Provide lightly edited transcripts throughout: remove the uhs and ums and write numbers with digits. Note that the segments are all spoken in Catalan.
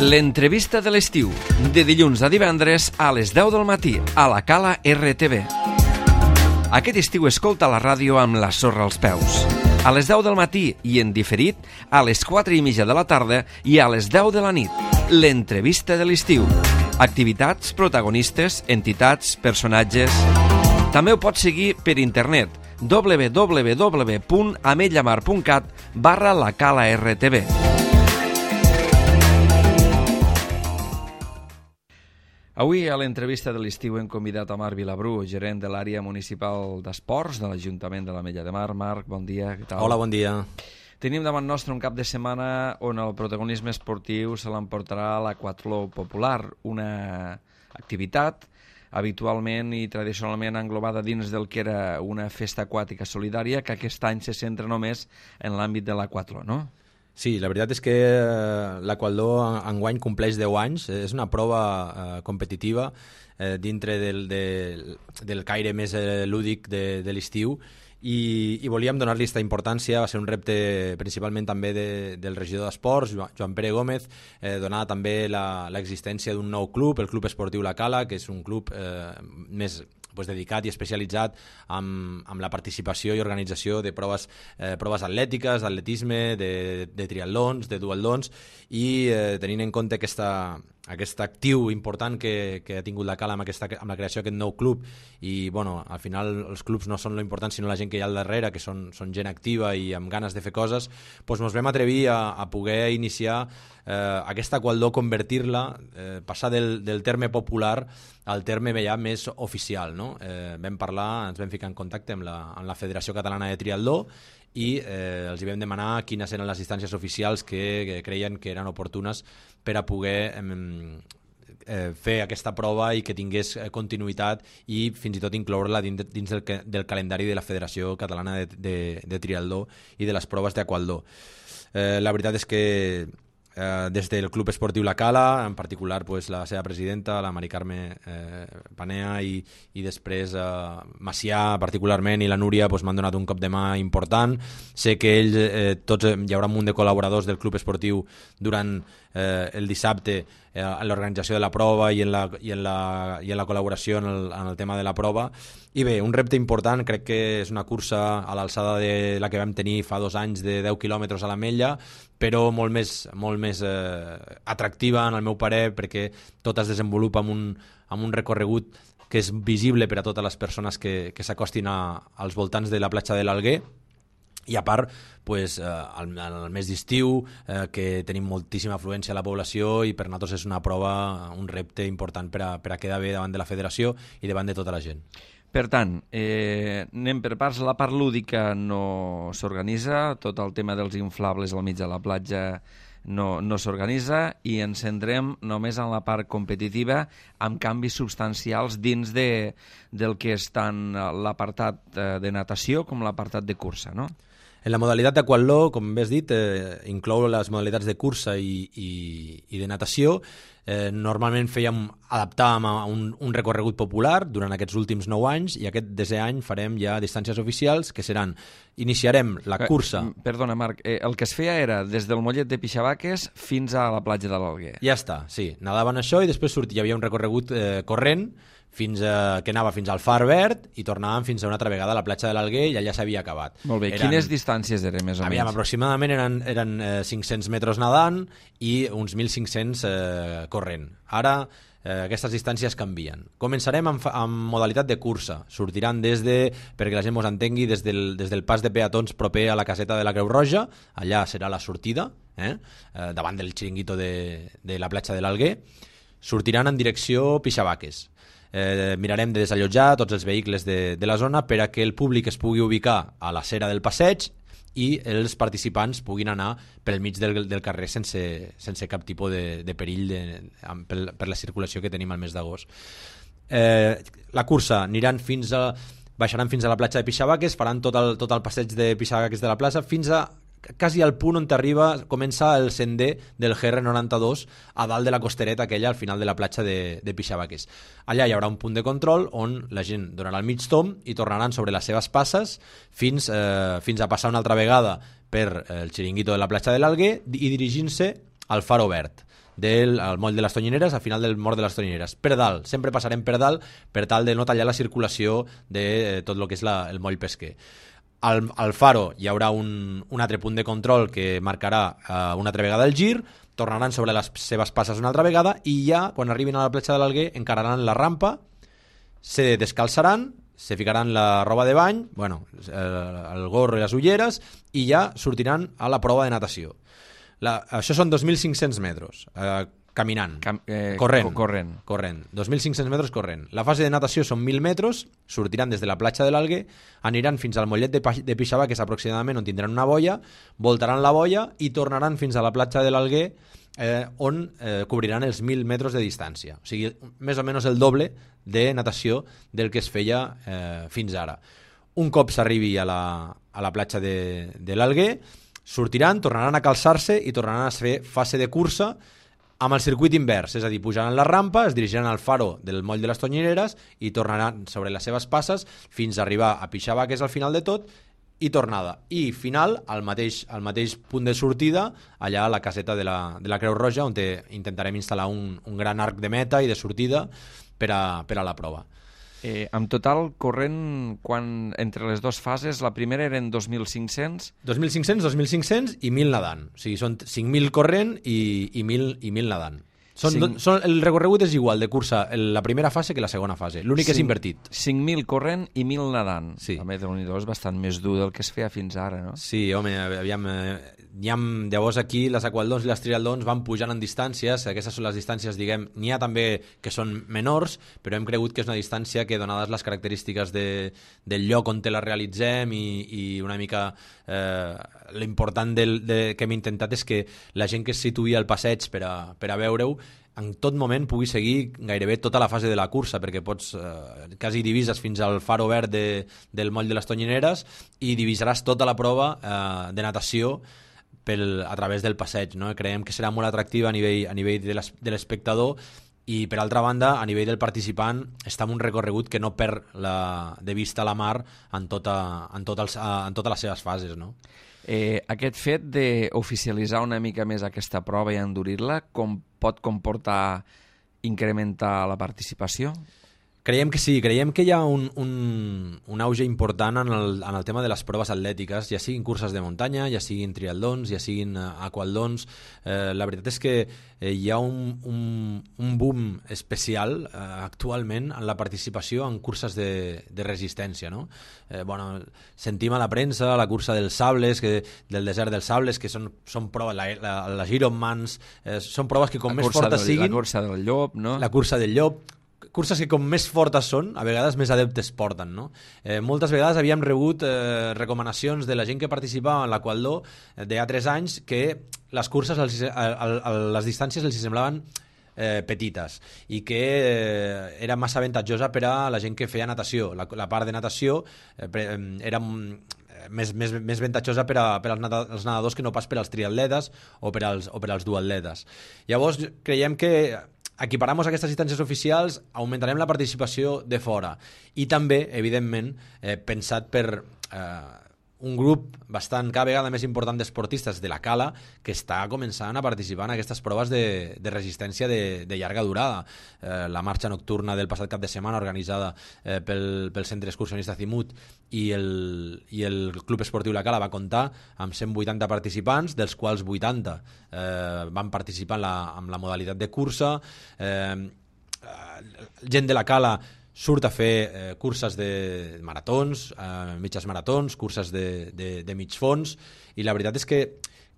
L'entrevista de l'estiu, de dilluns a divendres a les 10 del matí, a la Cala RTV. Aquest estiu escolta la ràdio amb la sorra als peus. A les 10 del matí i en diferit, a les 4:30 de la tarda i a les 10 de la nit. L'entrevista de l'estiu. Activitats, protagonistes, entitats, personatges... També ho pots seguir per internet www.ametlllamar.cat/la-cala-rtv. Avui a l'entrevista de l'estiu hem convidat a Marc Vilabrú, gerent de l'àrea municipal d'esports de l'Ajuntament de l'Ametlla de Mar. Marc, bon dia, què tal? Hola, bon dia. Tenim davant nostre un cap de setmana on el protagonisme esportiu se l'emportarà l'aquatló popular, una activitat habitualment i tradicionalment englobada dins del que era una festa aquàtica solidària que aquest any se centra només en l'àmbit de l'aquatló, no? Sí, la veritat és que l'aquatló enguany compleix 10 anys. És una prova competitiva dintre del caire més lúdic de l'estiu i volíem donar-li aquesta importància. Va ser un repte principalment també del regidor d'Esports, Joan Pere Gómez, donar també l'existència d'un nou club, el Club Esportiu La Cala, que és un club més dedicat i especialitzat amb la participació i organització de proves atlètiques, d'atletisme, de triatlons, de duatlons, i tenint en compte aquest actiu important que ha tingut la Cala amb la creació d'aquest nou club. I al final els clubs no són l'important sinó la gent que hi ha al darrere, que són gent activa i amb ganes de fer coses. Ens vam atrevir a poder iniciar aquesta aquatló, convertir-la, passar del terme popular al terme ja més oficial, no? Vam parlar, ens vam ficar en contacte amb la Federació Catalana de Triatló i els hi vam demanar quines eren les distàncies oficials que creien que eren oportunes per a poder fer aquesta prova i que tingués continuïtat i fins i tot incloure-la dins del calendari de la Federació Catalana de Triatló i de les proves d'aquatló. La veritat és que des del Club Esportiu La Cala, en particular la seva presidenta, la Mari Carme Panea, i després Macià particularment i la Núria m'han donat un cop de mà important. Sé que hi haurà un munt de col·laboradors del Club Esportiu durant el dissabte en l'organització de la prova i en la col·laboració en el tema de la prova. I bé, un repte important, crec que és una cursa a l'alçada de la que vam tenir fa 2 anys de 10 quilòmetres a l'Ametlla, però molt més atractiva en el meu parer, perquè tot es desenvolupa amb un recorregut que és visible per a totes les persones que s'acostin als voltants de la platja de l'Alguer. I a part, al mes d'estiu, que tenim moltíssima afluència a la població i per nosaltres és una prova, un repte important per a quedar bé davant de la federació i davant de tota la gent. Per tant, anem per parts. La part lúdica no s'organitza, tot el tema dels inflables al mig de la platja no s'organitza, i ens centrem només en la part competitiva amb canvis substancials dins del que és tant l'apartat de natació com l'apartat de cursa, no? En la modalitat d'aquatló, com bé has dit, inclou les modalitats de cursa i de natació. Normalment adaptàvem a un recorregut popular durant aquests últims 9 anys i aquest desè any farem ja distàncies oficials que iniciarem la cursa. Perdona, Marc, el que es feia era des del mollet de Pixabaques fins a la platja de l'Alguer. Ja està, sí. Nadaven això i després hi havia un recorregut corrent que anava fins al Far Verd i tornàvem fins a una altra vegada a la platja de l'Alguer i allà s'havia acabat. Molt bé, quines distàncies eren més o menys? Aproximadament eren 500 metres nedant i uns 1.500 corrent. Ara aquestes distàncies canvien. Començarem amb modalitat de cursa. Sortiran perquè la gent ens entengui, des del pas de peatons proper a la caseta de la Creu Roja. Allà serà la sortida, davant del xiringuito de la platja de l'Alguer. Sortiran en direcció Pixabaques. Mirarem de desallotjar tots els vehicles de la zona per a que el públic es pugui ubicar a la cera del passeig i els participants puguin anar pel mig del carrer sense cap tipus de perill per la circulació que tenim al mes d'agost. La cursa baixaran fins a la platja de Pixabaques, faran tot el passeig de Pixabaques de la plaça fins a quasi al punt on comença el sender del GR92 a dalt de la costereta aquella al final de la platja de Pixabaques. Allà hi haurà un punt de control on la gent donarà el mig tomb i tornaran sobre les seves passes fins a passar una altra vegada per el xiringuito de la platja de l'Alguer i dirigint-se al Faro Verd. al moll de les Tonyineres, al final del mort de les Tonyineres. Per dalt, sempre passarem per dalt per tal de no tallar la circulació de tot el que és el moll pesquer. Al faro hi haurà un altre punt de control que marcarà una altra vegada el gir, tornaran sobre les seves passes una altra vegada i ja, quan arribin a la platja de l'Alguer, encararan la rampa, se descalçaran, se ficaran la roba de bany, el gorro i les ulleres, i ja sortiran a la prova de natació. Això són 2.500 metres, caminant, corrent. 2.500 metres corrent. La fase de natació són 1.000 metres, sortiran des de la platja de l'Alguer, aniran fins al mollet de Pixabà, que és aproximadament on tindran una boia, voltaran la boia i tornaran fins a la platja de l'Alguer, on cobriran els 1.000 metres de distància. O sigui, més o menys el doble de natació del que es feia fins ara. Un cop s'arribi a la platja de l'Alguer, sortiran, tornaran a calçar-se i tornaran a fer fase de cursa amb el circuit invers, és a dir, pujaran la rampa, es dirigiran al faro del moll de les Tonyineres i tornaran sobre les seves passes fins a arribar a Pixabà, que és al final de tot, i tornada. I final, al mateix punt de sortida, allà a la caseta de la Creu Roja, on intentarem instal·lar un gran arc de meta i de sortida per a la prova. En total, corrent, entre les dues fases, la primera eren 2.500? 2.500 i 1.000 nedant. O sigui, són 5.000 corrent i 1.000 nedant. El recorregut és igual de cursa la primera fase que la segona fase. L'únic és invertit. 5.000 corrent i 1.000 nedant. Sí. A més, Déu-n'hi-do, és bastant més dur del que es feia fins ara, no? Sí, home, aviam... Llavors aquí les aqualdons i les trialdons van pujant en distàncies. Aquestes són les distàncies, diguem, n'hi ha també que són menors, però hem cregut que és una distància que, donades les característiques del lloc on te la realitzem i una mica l'important que hem intentat és que la gent que es situï al passeig per a veure-ho en tot moment pugui seguir gairebé tota la fase de la cursa, perquè pots quasi divises fins al faro verd del moll de les Tonyineres i divisaràs tota la prova de natació a través del passeig, no? Creiem que serà molt atractiva a nivell de l'espectador i, per altra banda, a nivell del participant està en un recorregut que no perd de vista la mar en totes les seves fases, no? Aquest fet d'oficialitzar una mica més aquesta prova i endurir-la, com pot comportar incrementar la participació? Creiem que sí, creiem que hi ha un auge important en el tema de les proves atlètiques, ja siguin curses de muntanya, ja siguin trialdons, ja siguin aqualdons. La veritat és que hi ha un boom especial actualment en la participació en curses de resistència, no? Sentim a la premsa la cursa dels sables, del desert dels sables, que són proves, les Ironmans, són proves que com més fortes siguin... La cursa del llop, no? La cursa del llop, curses que com més fortes són, a vegades més adeptes porten, no? Moltes vegades havíem rebut recomanacions de la gent que participava en l'Aqualdó de ha 3 anys que les curses, les distàncies els semblaven petites i que era massa avantatjosa per a la gent que feia natació. La part de natació era més avantatjosa per als nedadors que no pas per als triatletes o per als duatletes. Llavors creiem que equiparamos aquestes distàncies oficials, augmentarem la participació de fora i també, evidentment, pensat per un grup cada vegada més important d'esportistes de la Cala que està començant a participar en aquestes proves de resistència de llarga durada. La marxa nocturna del passat cap de setmana organitzada pel Centre Excursionista Zimut i el Club Esportiu La Cala va comptar amb 180 participants, dels quals 80 van participar en la modalitat de cursa. Gent de la Cala surt a fer curses de maratons, mitges maratons, curses de mig fons, i la veritat és que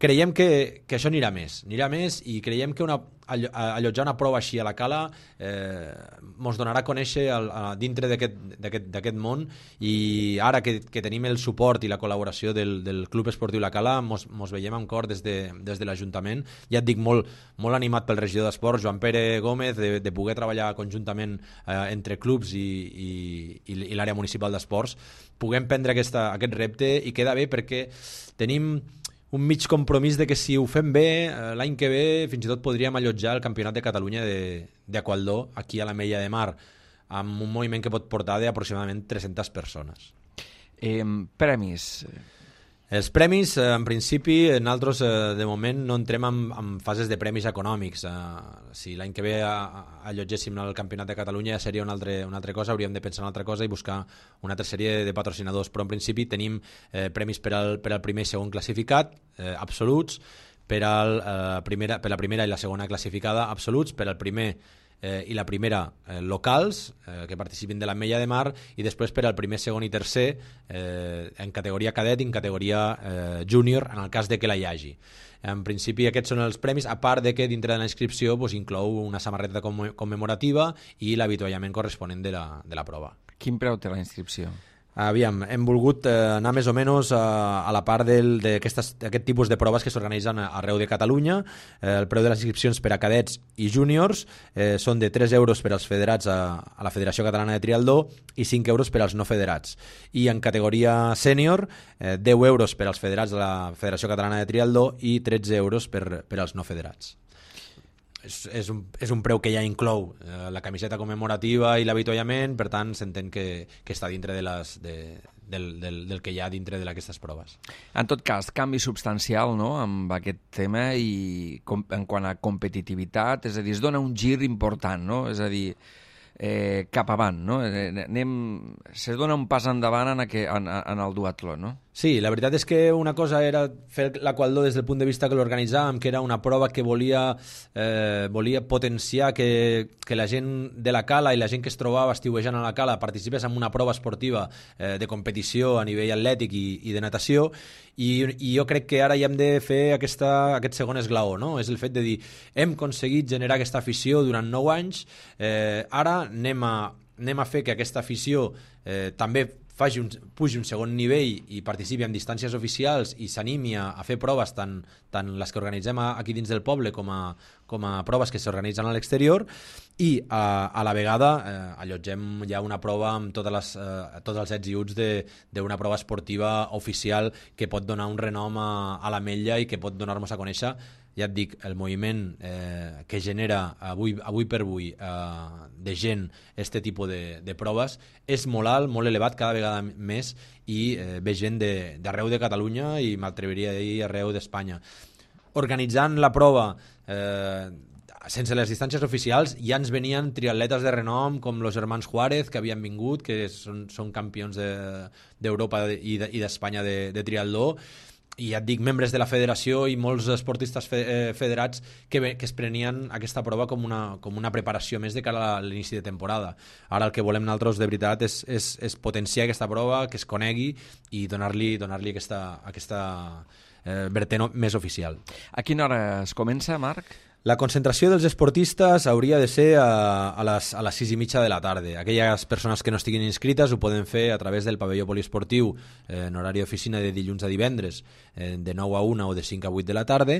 creiem que això anirà més i creiem que allotjar una prova així a la Cala ens donarà a conèixer dintre d'aquest món, i ara que tenim el suport i la col·laboració del Club Esportiu La Cala ens veiem amb cor des de l'Ajuntament, ja et dic, molt animat pel regidor d'Esports, Joan Pere Gómez, de poder treballar conjuntament entre clubs i l'àrea municipal d'esports, puguem prendre aquest repte, i queda bé perquè tenim un mig compromís de que si ho fem bé, l'any que ve fins i tot podríem allotjar el Campionat de Catalunya d'Aqualdó aquí a la Mella de Mar, amb un moviment que pot portar d'aproximadament 300 persones. Premis. Els premis, en principi, nosaltres de moment no entrem en fases de premis econòmics. Si l'any que ve allotgéssim el Campionat de Catalunya seria una altra cosa, hauríem de pensar en una altra cosa i buscar una altra sèrie de patrocinadors, però en principi tenim premis per al primer i segon classificat, absoluts, per la primera i la segona classificada, absoluts, per al primer i la primera locals que participin de l'Ametlla de Mar, i després per al primer, segon i tercer en categoria cadet i en categoria júnior en el cas de que la hi hagi. En principi aquests són els premis, a part de que dintre de la inscripció inclou una samarreta commemorativa i l'avituallament corresponent de la prova. Quin preu té la inscripció? Aviam, hem volgut anar més o menys a la part d'aquest tipus de proves que s'organitzen arreu de Catalunya. El preu de les inscripcions per a cadets i júniors són de 3 euros per als federats a la Federació Catalana de Triatló i 5 euros per als no federats. I en categoria sènior, 10 euros per als federats de la Federació Catalana de Triatló i 13 euros per als no federats. És un preu que ja inclou la camiseta commemorativa i l'avituallament, per tant s'entén que està dintre del que hi ha dintre d'aquestes proves. En tot cas, canvi substancial, no?, amb aquest tema i en quant a competitivitat, és a dir, es dona un gir important, no?, és a dir, cap avant, no? Se dona un pas endavant en el duatló, no? Sí, la veritat és que una cosa era fer l'aqualdó des del punt de vista que l'organitzàvem, que era una prova que volia potenciar que la gent de la cala i la gent que es trobava estiuejant a la cala participés en una prova esportiva de competició a nivell atlètic i de natació, i jo crec que ara ja hem de fer aquest segon esglaó, no? És el fet de dir, hem aconseguit generar aquesta afició durant 9 anys, ara anem a fer que aquesta afició també pugi un segon nivell i participi en distàncies oficials i s'animi a fer proves tant les que organitzem aquí dins del poble com a proves que s'organitzen a l'exterior, i a la vegada allotgem ja una prova amb tots els ets i uts d'una prova esportiva oficial que pot donar un renom a l'Ametlla i que pot donar-nos a conèixer, ja et dic, el moviment que genera avui per avui de gent este tipus de proves és molt alt, molt elevat, cada vegada més, i ve gent d'arreu de Catalunya i m'atreviria a dir arreu d'Espanya. Organitzant la prova sense les distàncies oficials ja ens venien triatletes de renom com los germans Juárez, que havien vingut, que són campions d'Europa i d'Espanya de triatló, i ja et dic, membres de la federació i molts esportistes federats que es prenien aquesta prova com una preparació més de cara a l'inici de temporada. Ara el que volem nosaltres de veritat és potenciar aquesta prova, que es conegui i donar-li aquesta vertent més oficial. A quina hora es comença, Marc? La concentració dels esportistes hauria de ser a les 6:30 de la tarda. Aquelles persones que no estiguin inscrites ho poden fer a través del pavelló poliesportiu en horari d'oficina de dilluns a divendres de 9 a 1 o de 5 a 8 de la tarda,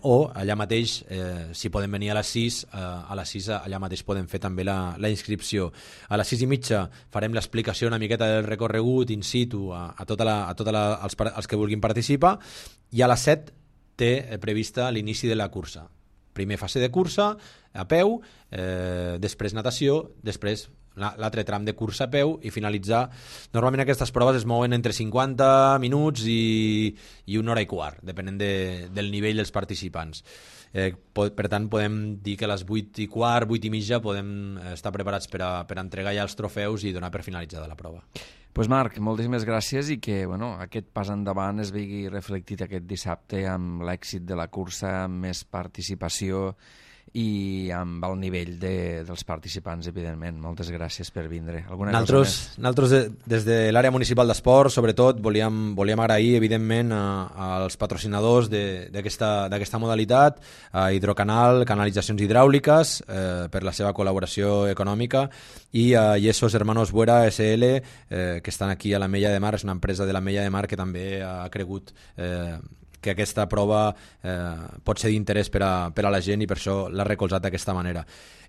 o allà mateix, si poden venir a les 6, allà mateix poden fer també la inscripció. A les 6:30 farem l'explicació una miqueta del recorregut in situ a els que vulguin participar, i a les 7 té prevista l'inici de la cursa. Primer fase de cursa a peu, després natació, després l'altre tram de cursa a peu i finalitzar. Normalment aquestes proves es mouen entre 50 minuts i 1 hora i quart, depenent del nivell dels participants. Per tant, podem dir que a les 8:15, 8:30 podem estar preparats per a entregar ja els trofeus i donar per finalitzada la prova. Doncs Marc, moltíssimes gràcies, i que aquest pas endavant es vegi reflectit aquest dissabte amb l'èxit de la cursa, amb més participació i amb el nivell dels participants, evidentment. Moltes gràcies per vindre. Nosaltres, des de l'àrea municipal d'esport, sobretot, volíem agrair, evidentment, als patrocinadors d'aquesta modalitat, a Hidrocanal, Canalitzacions Hidràuliques, per la seva col·laboració econòmica, i a Yesos Hermanos Buera SL, que estan aquí a l'Ametlla de Mar. És una empresa de l'Ametlla de Mar que també ha cregut que aquesta prova pot ser d'interès per a la gent i per això l'ha recolzat d'aquesta manera.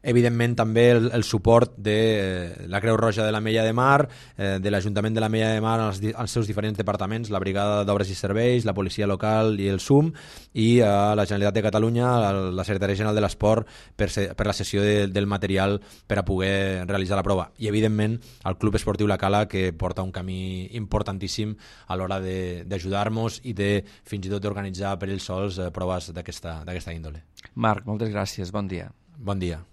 Evidentment també el suport de la Creu Roja de l'Ametlla de Mar, de l'Ajuntament de l'Ametlla de Mar als seus diferents departaments, la Brigada d'Obres i Serveis, la Policia Local i el SUM, i la Generalitat de Catalunya, la Secretaria General de l'Esport per la cessió del material per a poder realitzar la prova. I evidentment el Club Esportiu La Cala, que porta un camí importantíssim a l'hora d'ajudar-nos i de fins i tot d'organitzar per ells sols proves d'aquesta índole. Marc, moltes gràcies, bon dia. Bon dia.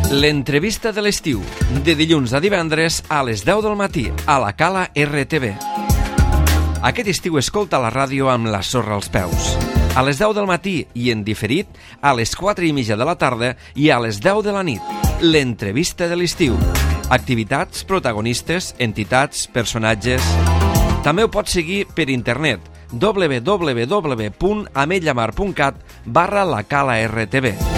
L'entrevista de l'estiu, de dilluns a divendres a les 10 del matí, a la Cala RTV. Aquest estiu escolta la ràdio amb la sorra als peus. A les 10 del matí i en diferit, a les 4:30 de la tarda i a les 10 de la nit. L'entrevista de l'estiu. Activitats, protagonistes, entitats, personatges... També ho pots seguir per internet www.ametllamar.cat/la Cala RTV.